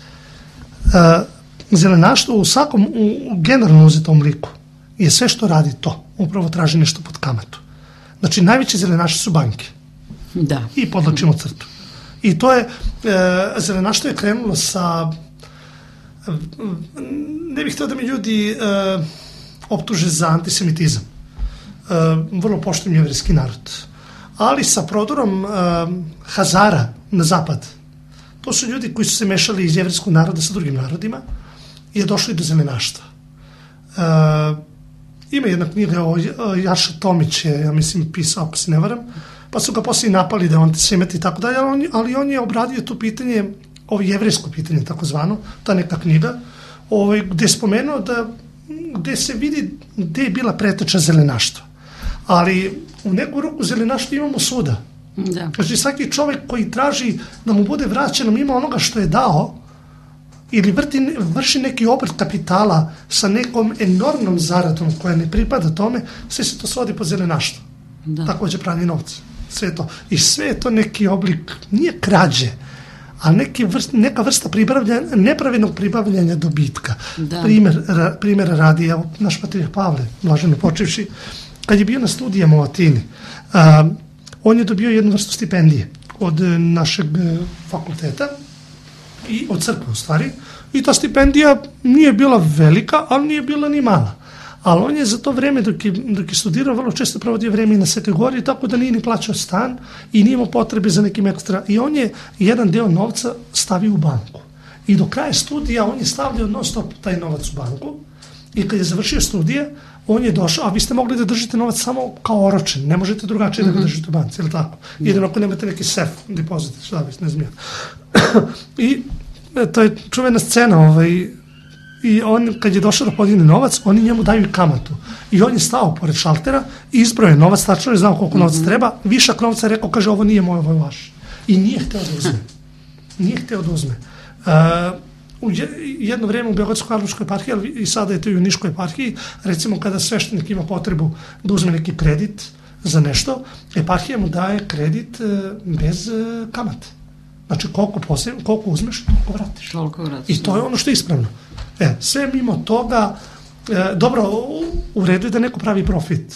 Zelenaštvo u svakom, generalno uzetom liku, je sve što radi to. Upravo traži nešto pod kamatu. Znači, najveći zelenaši su banke. Da. I podlačimo crtu. I to je, zelenaštvo je krenulo sa, ne bih htio da mi ljudi optuže za antisemitizam. Vrlo poštujem jevrejski narod. Ali sa prodorom Hazara na zapad, to su ljudi koji su se mešali iz jevrejskog naroda sa drugim narodima i je došlo i do zelenaštva. Ima jedna knjiga o Jaša Tomić je, ja mislim, pisao, ako se ne varam, pa su ga poslije napali da je antisemit i tako dalje, ali on je obradio to pitanje, ovo jevrejsko pitanje, takozvano, ta neka knjiga, gde je spomenuo gde se vidi gde je bila preteča zelenaštva. Ali u neku ruku zelenaštva imamo svuda. Da. Znači, svaki čovjek koji traži da mu bude vraćeno mimo onoga što je dao, ili vrši neki obrt kapitala sa nekom enormnom zaradom koja ne pripada tome, sve se to svodi pod zelenaštvo. Takođe pranje novca. Sve to. I sve je to neki oblik, nije krađe, a neka vrsta nepravednog pribavljanja dobitka. Primjera radi, evo, naš patrijarh Pavle, blaženo počevši, kad je bio na studijama u Atini, on je dobio jednu vrstu stipendije od našeg fakulteta, i od crkve u stvari, i ta stipendija nije bila velika, ali nije bila ni mala. Ali on je za to vreme dok je studirao vrlo često provodio vreme i na Svetoj Gori, tako da nije ni plaćao stan i nije imao potrebe za nekim ekstra. I on je jedan deo novca stavio u banku. I do kraja studija on je stavljao non stop taj novac u banku i kad je završio studije, on je došao, a vi ste mogli da držite novac samo kao oročen, ne možete drugačije da ga držite u banci, ili tako? Jedino ako nemate neki sef, depozit, šta bi, ne znam ja. I to je čuvena scena, i on, kad je došao da podigne novac, oni njemu daju i kamatu. I on je stao pored šaltera i izbroje novac, tačno je znao koliko novca treba, višak novca rekao, kaže, ovo nije moj, ovo je vaš. I nije hteo da uzme. U jedno vreme u Beogradsko-Karlovačkoj eparhiji, ali i sada je to i u Niškoj eparhiji, recimo kada sveštenik ima potrebu da uzme neki kredit za nešto, eparhija mu daje kredit bez kamate. Znači, koliko uzmeš, toliko vratiš. I to je ono što je ispravno. Sve mimo toga, dobro, u redu je da neko pravi profit.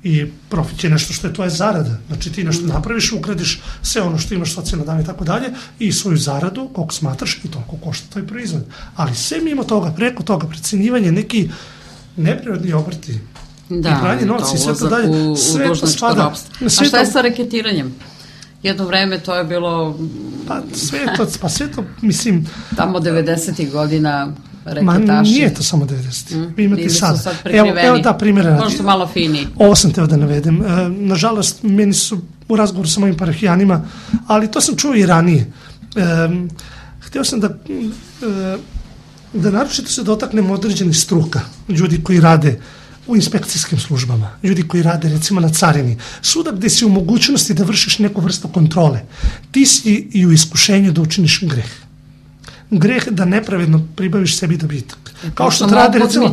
I profit je nešto što je tvoja zarada. Znači, ti nešto napraviš, ukradiš sve ono što imaš socijalno davanje i tako dalje i svoju zaradu, koliko smatraš, i toliko košta tvoj proizvod. Ali sve mimo toga, preko toga, precenjivanje, neki neprirodni obrti i pranje novca i sve to dalje, sve to spada. A šta je sa reketiranjem? Jedno vreme to je bilo... sve to, mislim... Tamo 90. godina reketaši. Nije to samo 90. Vi imate sada. Sad prikriveni. Evo da, primjera radi. Možda malo finiji. Ovo sam teo da navedem. Nažalost, meni su u razgovoru sa mojim parohijanima, ali to sam čuo i ranije. Hteo sam da naročito se dotaknem određenih struka, ljudi koji rade u inspekcijskim službama, ljudi koji rade recimo na carini, svuda gde si u mogućnosti da vršiš neku vrstu kontrole, ti si i u iskušenju da učiniš greh. Greh da nepravedno pribaviš sebi dobitak. Kao što rade recimo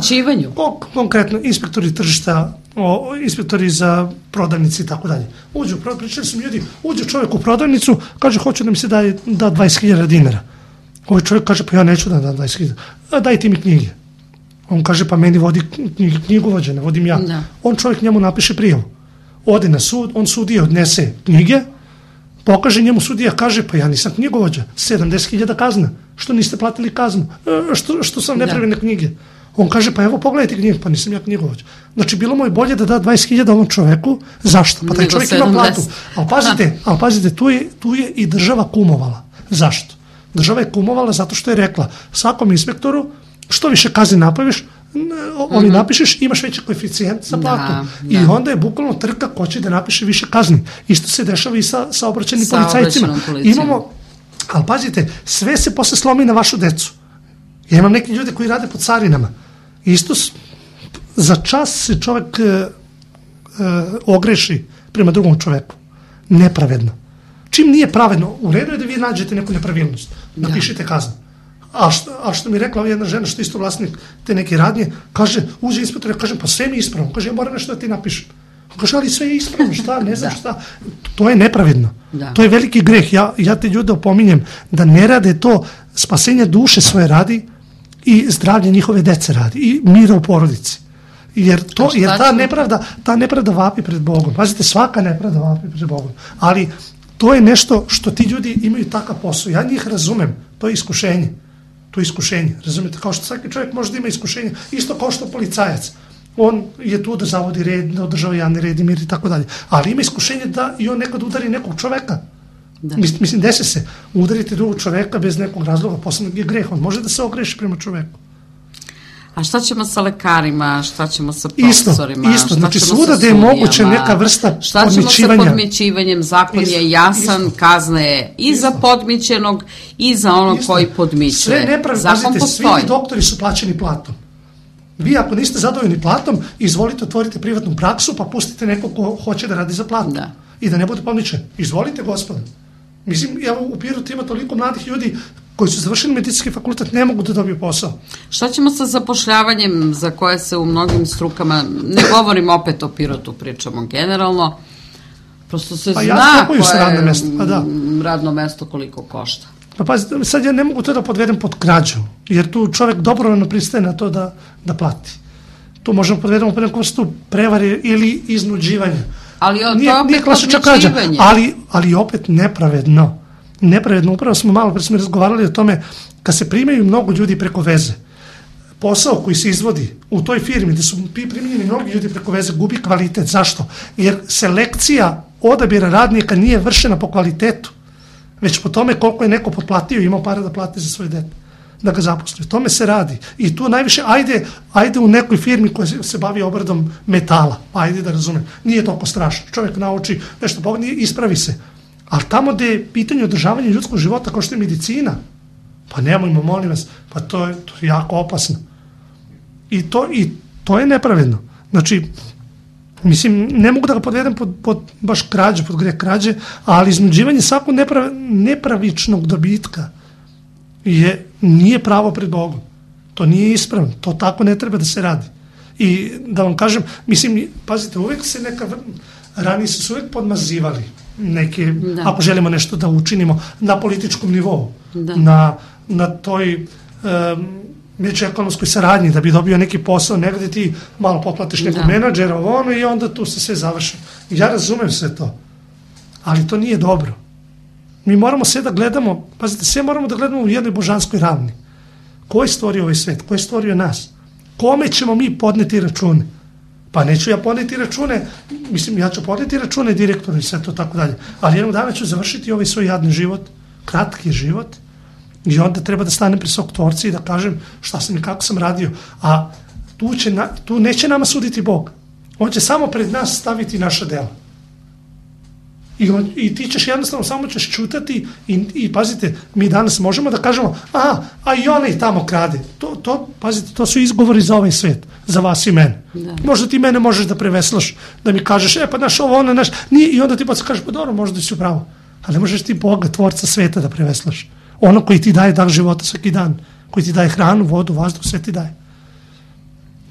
konkretno inspektori tržišta, inspektori za prodavnici i tako dalje. Pričali su mi ljudi, uđe čovjek u prodavnicu, kaže hoću da mi se da 20.000 dinara. Ovaj čovjek kaže pa ja neću da dam 20.000, daj ti mi knjige. On kaže pa meni vodi knjigovođa, ne vodim ja. Da. On čovjek njemu napiše prijavu. Ode na sud, on sudije odnese knjige, pokaže njemu sudija, kaže pa ja nisam knjigovođa, 70.000 kazna, što niste platili kaznu, što sam nepravilne knjige. On kaže pa evo pogledajte knjige, pa nisam ja knjigovođa. Znači bilo mu je bolje da da 20.000 ovom čoveku, zašto? Pa taj čovjek ima platu. Ali pazite, tu je i država kumovala. Zašto? Država je kumovala zato što je rekla svakom inspektoru što više kazni napraviš, napišeš, imaš veći koeficijent za platu. I onda je bukvalno trka ko će da napiše više kazni. Isto se dešava i sa saobraćajnim policajcima. Ali pazite, sve se posle slomi na vašu decu. Ja imam neki ljudi koji rade po carinama. Isto za čas se čovjek ogreši prema drugom čoveku. Nepravedno. Čim nije pravedno, u redu je da vi nađete neku nepravilnost. Napišite kaznu. A što mi je rekla jedna žena, što je isto vlasnik te neke radnje, kaže, uđe inspektor, ja kažem, pa sve mi je ispravno. Kaže, ja moram nešto da ti napišem. Kaže, ali sve je ispravno, šta, ne znam šta. To je nepravedno. To je veliki greh. Ja te ljude opominjem da ne rade to, spasenje duše svoje radi i zdravlje njihove dece radi i mira u porodici. Jer ta nepravda vapi pred Bogom. Pazite, svaka nepravda vapi pred Bogom. Ali to je nešto što ti ljudi imaju takav posao. Ja njih razumem. To je iskušenje. To je iskušenje. Razumete? Kao što svaki čovjek može da ima iskušenje. Isto kao što policajac. On je tu da zavodi red, da održava javni red i mir i tako dalje. Ali ima iskušenje da i on nekad udari nekog čoveka. Mislim, desi se. Udariti drugog čoveka bez nekog razloga, posebno je greh. On može da se ogreši prema čoveku. A šta ćemo sa lekarima, šta ćemo sa profesorima? Isto, znači svuda da je moguće neka vrsta podmićivanja. Šta ćemo sa podmićivanjem? Zakon je jasan, kazna je i za podmićenog i za onog koji podmićuje. Sve nepravi, pazite, svi doktori su plaćeni platom. Vi ako niste zadovoljni platom, izvolite, otvorite privatnu praksu, pa pustite nekog ko hoće da radi za platu. I da ne bude podmićen. Izvolite, gospodo. Mislim, evo u Pirotu ima toliko mladih ljudi koji su završili medicinski fakultet, ne mogu da dobiju posao. Šta ćemo sa zapošljavanjem za koje se u mnogim strukama, ne govorim opet o Pirotu, pričamo generalno, prosto se zna koje je radno mesto koliko košta. Pa pazite, sad ja ne mogu to da podvedem pod krađu, jer tu čovjek dobrovoljno pristaje na to da plati. Tu možemo podvedemo pod neku vrstu prevare ili iznuđivanja. Ali to je opet podmićivanje. Ali opet nepravedno. Nepravedno, upravo smo malo pre smo razgovarali o tome kad se primaju mnogo ljudi preko veze. Posao koji se izvodi u toj firmi gde su primljeni mnogi ljudi preko veze gubi kvalitet. Zašto? Jer selekcija odabira radnika nije vršena po kvalitetu, već po tome koliko je neko potplatio i imao para da plati za svoje dete, da ga zaposli. Tome se radi. I tu najviše, ajde u nekoj firmi koja se bavi obradom metala, ajde da razumem, nije toliko strašno. Čovjek nauči nešto pogodnije, ispravi se. Ali tamo gde je pitanje održavanja ljudskog života kao što je medicina, pa nemojmo, molim vas, pa to je jako opasno. I to je nepravedno. Znači, mislim, ne mogu da ga podvedem pod baš krađe, pod greh krađe, ali iznuđivanje svakog nepravičnog dobitka nije pravo pred Bogom. To nije ispravno. To tako ne treba da se radi. I da vam kažem, mislim, pazite, uvek se ranije su uvek podmazivali neke, ako želimo nešto da učinimo na političkom nivou, na toj međuekonomskoj saradnji, da bi dobio neki posao, negde ti malo poplatiš nekog menadžera i onda tu se sve završi. Ja razumem sve to, ali to nije dobro. Mi moramo sve da gledamo, pazite, sve moramo da gledamo u jednoj božanskoj ravni. Ko je stvorio ovaj svet? Ko je stvorio nas? Kome ćemo mi podneti račune? Pa neću ja podneti račune, mislim, ja ću podneti račune direktoru i sve to tako dalje, ali jednog dana ću završiti ovaj svoj jadni život, kratki život, i onda treba da stanem pred svog tvorca i da kažem šta sam i kako sam radio. A tu neće nama suditi Bog. On će samo pred nas staviti naša dela. I ti ćeš jednostavno, samo ćeš čutati i pazite, mi danas možemo da kažemo, a i onaj tamo krade. Pazite, to su izgovori za ovaj svet. za vas i mene. Da. Možda ti mene možeš da preveslaš, da mi kažeš, pa naš ovo, ono, naš, nije, i onda ti pa kažeš, pa dobro, možda si upravo. Ali ne možeš ti Boga, tvorca sveta da preveslaš. Ono koji ti daje dah života svaki dan, koji ti daje hranu, vodu, vazduh, sve ti daje.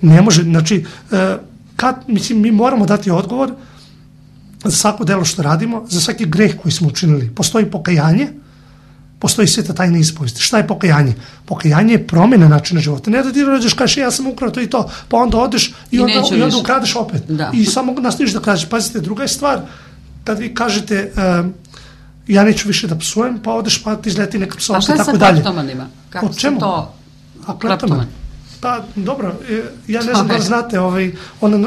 Ne može, znači, mi moramo dati odgovor za svako delo što radimo, za svaki greh koji smo učinili. Postoji pokajanje, postoji sveta tajna ispovesti. Šta je pokajanje? Pokajanje je promjena načina života. Ne da ti rođeš, kažeš ja sam ukrao to i to, pa onda odeš i onda ukradeš opet. Da. I samo nastaviš da kradeš. Pazite, druga je stvar, kad vi kažete ja neću više da psujem, pa odeš pa ti izleti neka psovka i tako dalje. A šta je sa kleptomanima? Kako se to? Kleptoman? Pa dobro, ja ne znam da li znate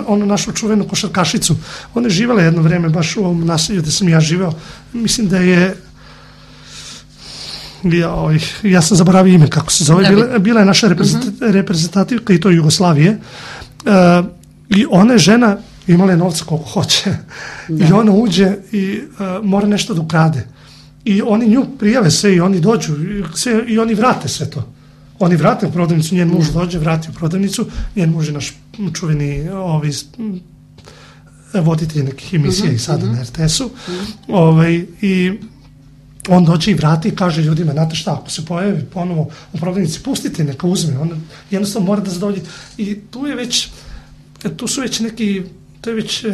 onu našu čuvenu košarkašicu. Ona je živjela jedno vreme baš u ovom naselju gde sam ja živeo. Mislim da je ja sam zaboravio ime kako se zove. Bila je naša reprezentativka i to Jugoslavije. I ona je žena, imala je novca koliko hoće. I ona uđe i mora nešto da ukrade. I oni nju prijave sve i oni dođu i oni vrate sve to. Oni vrate u prodavnicu, njen muž dođe, vrati u prodavnicu, njen muž je naš čuveni voditelj nekih emisija i sada na RTS-u. I on dođe i vrati i kaže ljudima, znate šta, ako se pojavi ponovo u prodavnici, pustite, neka uzme. On jednostavno mora da zadovolji. I tu su već neki, to je već,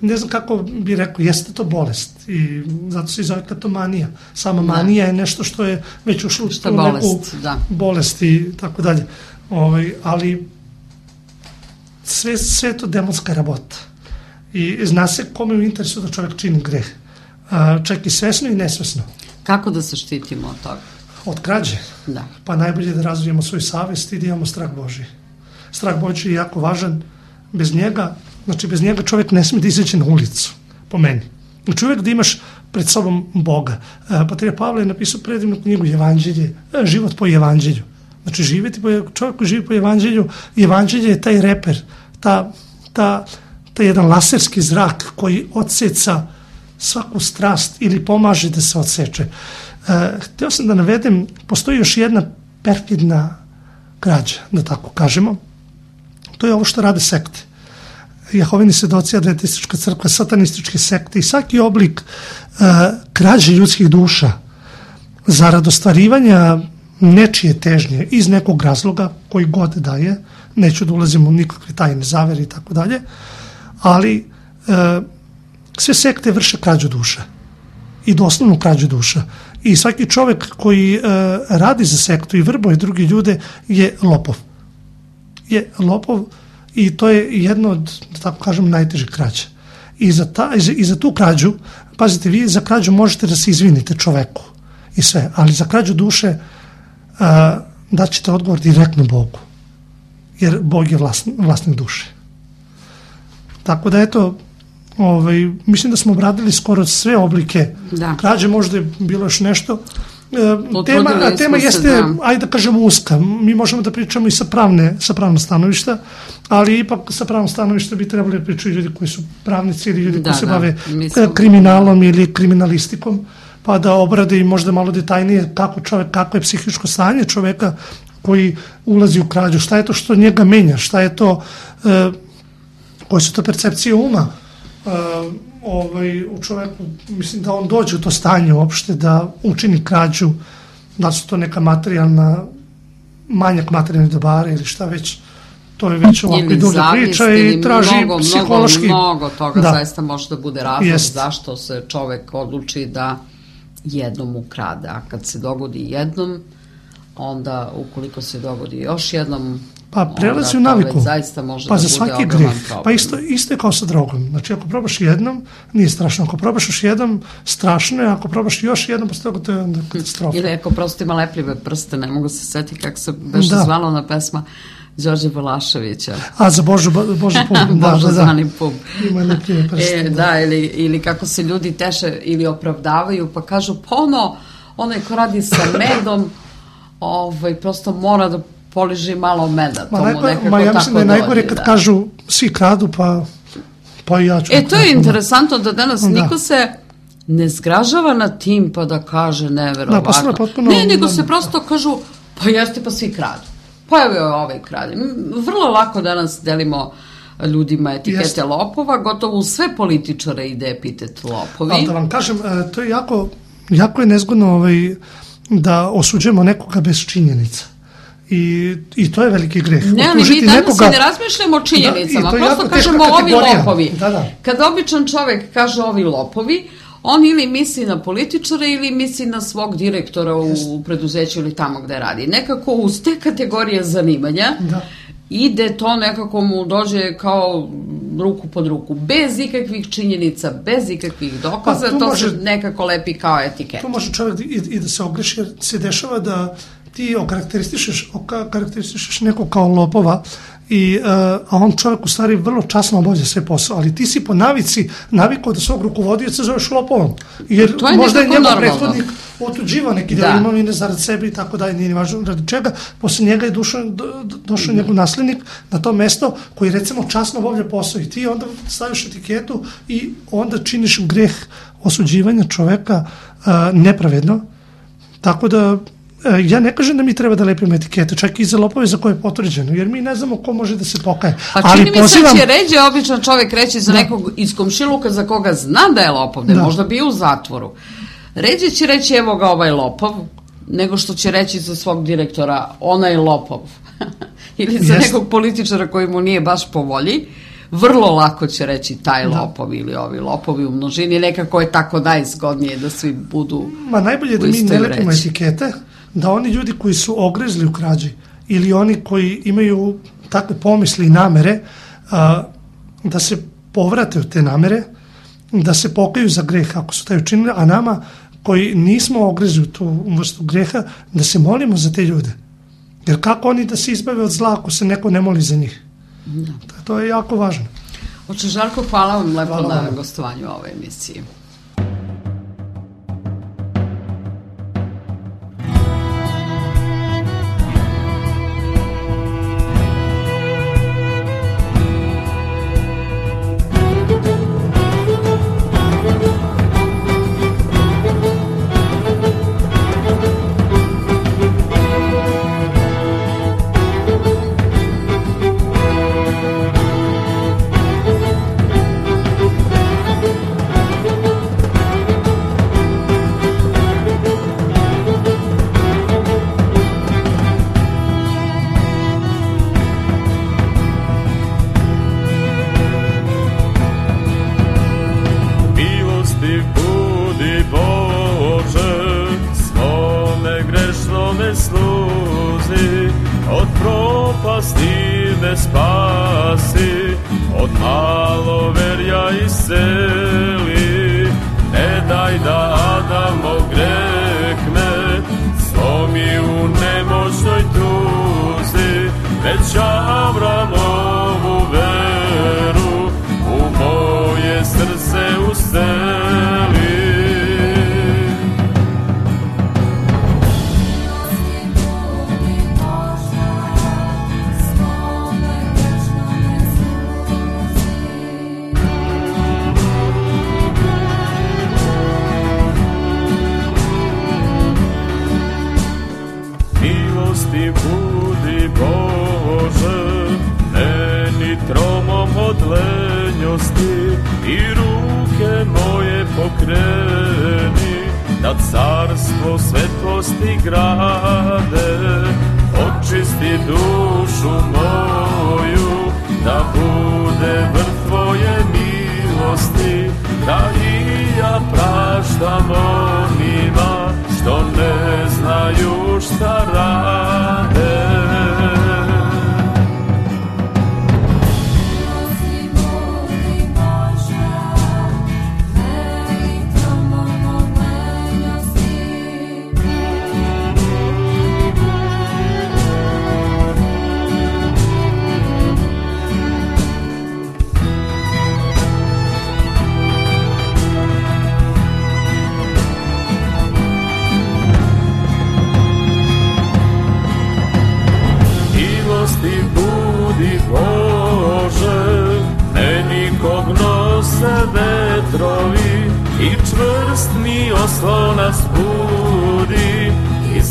ne znam kako bi rekao, jeste to bolest i zato se i zove kleptomanija. Sama manija je nešto što je već ušlo u neku bolest i tako dalje. Ali sve je to demonska rabota. I zna se kome u interesu da čovjek čini greh. Čak i svesno i nesvesno. Kako da se štitimo od toga? Od krađe. Da. Pa najbolje da razvijemo svoju savest i da imamo strah Božji. Strah Božji je jako važan. Bez njega čovjek ne smije da izaći na ulicu, po meni. Znači uvijek da imaš pred sobom Boga. Patrijarh Pavle je napisao predivnu knjigu Evanđelje, život po Evanđelju. Znači čovjek koji živi po Evanđelju, Evanđelje je taj reper, taj jedan laserski zrak koji odseca svaku strast ili pomaže da se odseče. Htio sam da navedem, postoji još jedna perfidna krađa, da tako kažemo. To je ovo što rade sekte. Jehovini svedoci, adventistička crkva, satanističke sekte i svaki oblik krađe ljudskih duša zarad ostvarivanja nečije težnje iz nekog razloga koji god daje, neću da ulazim u nikakve tajne zavere i tako dalje, ali sve sekte vrše krađu duša i doslovnu krađu duša. I svaki čovjek koji radi za sektu i vrbuje druge ljude je lopov. I to je jedno od, da tako kažem, najtežih krađa. I za tu krađu, pazite, vi za krađu možete da se izvinite čoveku i sve, ali za krađu duše daćete odgovor direktno Bogu. Jer Bog je vlasnik duše. Ima eto, mislim da smo obradili skoro sve oblike krađe, možda je bilo još nešto. Tema jeste, ajde da kažemo, uska. Mi možemo da pričamo i sa pravnog stanovišta, ali ipak sa pravnog stanovišta bi trebali da pričaju ljudi koji su pravnici ili ljudi koji se bave kriminalom ili kriminalistikom, pa da obrade i možda malo detaljnije kako je psihičko stanje čoveka koji ulazi u krađu, šta je to što njega menja, šta je to, koje su to percepcije uma u čoveku, mislim da on dođe u to stanje uopšte da učini krađu, da su to neka manjak materijalnih dobara ili šta već, to je već ovako i duža priča i traži psihološki. Mnogo toga zaista može da bude razlog zašto se čovek odluči da jednom ukrade, a kad se dogodi jednom, onda ukoliko se dogodi još jednom, pa prelazi u naviku. Zaista može pa da za bude svaki ogroman greh. problem. Pa isto je kao sa drogom. Znači ako probaš jednom, nije strašno. Ako probaš još jednom, strašno je. Ako probaš još jednom, posle toga to je onda katastrofa. Ili ako prosto ima lepljive prste, ne mogu se setiti kako se beše zvala ona pesma Đorđe Balaševića. A za Božu pub. Božu zvani pub. Ima lepljive prste. Ili kako se ljudi teše ili opravdavaju, pa kažu, pa onaj ko radi sa medom, prosto mora da poliži malo meda. Ja mislim da je najgore kad kažu svi kradu, pa i ja ću. To je interesantno da danas niko se ne zgražava na tim pa da kaže neverovatno. Ne, nego se prosto kažu, pa jeste, pa svi kradu. pojavio je ovaj kralj. Vrlo lako danas delimo ljudima etikete lopova, gotovo u sve političare ide epitet lopovi. Ali da vam kažem, to je jako je nezgodno da osuđujemo nekoga bez činjenica. I to je veliki greh. Ne, ali mi danas ne razmišljamo o činjenicama, prosto kažemo ovi lopovi. Da. Kada običan čovek kaže ovi lopovi, on ili misli na političare ili misli na svog direktora u preduzeću ili tamo gde radi. Nekako uz te kategorije zanimanja ide to, nekako mu dođe kao ruku pod ruku, bez ikakvih činjenica, bez ikakvih dokaza, to se nekako lepi kao etiketa. To može čovjek i da se ogreši, jer se dešava da ti okarakteristišeš nekog kao lopova, a on čovjek u stvari vrlo časno obavlja sve posao, ali ti si po navikao da svog rukovodioca zoveš lopovom, jer možda je njegov prethodnik otuđivao neki deo imovine zarad sebe i tako dalje, nije važno radi čega, posle njega je došao njegov naslednik na to mesto koji recimo časno obavlja posao i ti onda staviš etiketu i onda činiš greh osuđivanja čoveka nepravedno, tako da ja ne kažem da mi treba da lepimo etikete, čak i za lopove za koje je potvrđeno, jer mi ne znamo ko može da se pokaje. Pa čini mi se da će ređe običan čovjek reći za nekog iz komšiluka za koga zna da je lopov, da je možda bio u zatvoru. Ređe će reći evo ga ovaj lopov, nego što će reći za svog direktora onaj lopov. Ili za nekog političara koji mu nije baš po volji. Vrlo lako će reći taj lopov ili ovi lopovi u množini, nekako je tako najzgodnije da svi budu u istoj vreći. Najbolje da mi ne lepimo etikete, da oni ljudi koji su ogrezli u krađi ili oni koji imaju takve pomisli i namere, da se povrate od te namere, da se pokaju za greh ako su taj učinili, a nama koji nismo ogrezli u tu vrstu greha, da se molimo za te ljude. Jer kako oni da se izbave od zla ako se neko ne moli za njih? To je jako važno. Oče Žarko, hvala vam lepo na gostovanju u ovoj emisiji.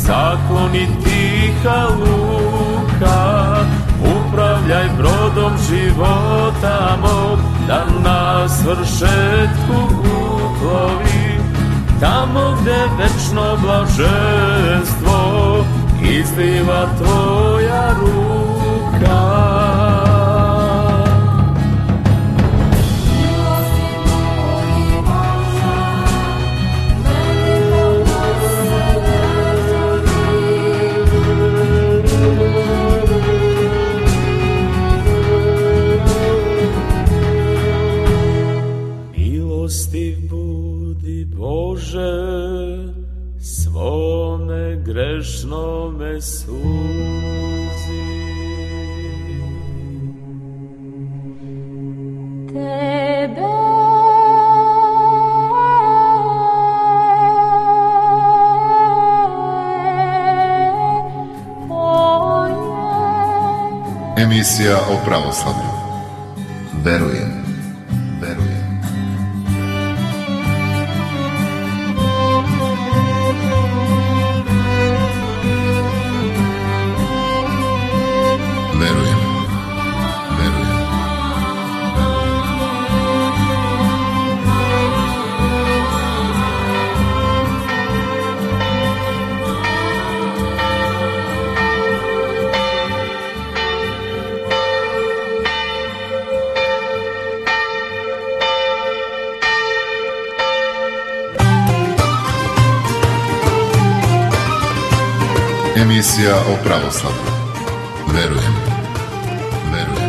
Zakloni tiha luka ruka, upravljaj brodom života mog, da na svršetku uplovi, tamo gde večno blaženstvo izliva tvoja ruka. Milostiv budi Bože, svome grešnome suzi. Tebe Emisija o pravoslavlju. Verujem. Verujem. Verujem. Verujem. Emisija o pravoslavlju. Verujem. Verujem.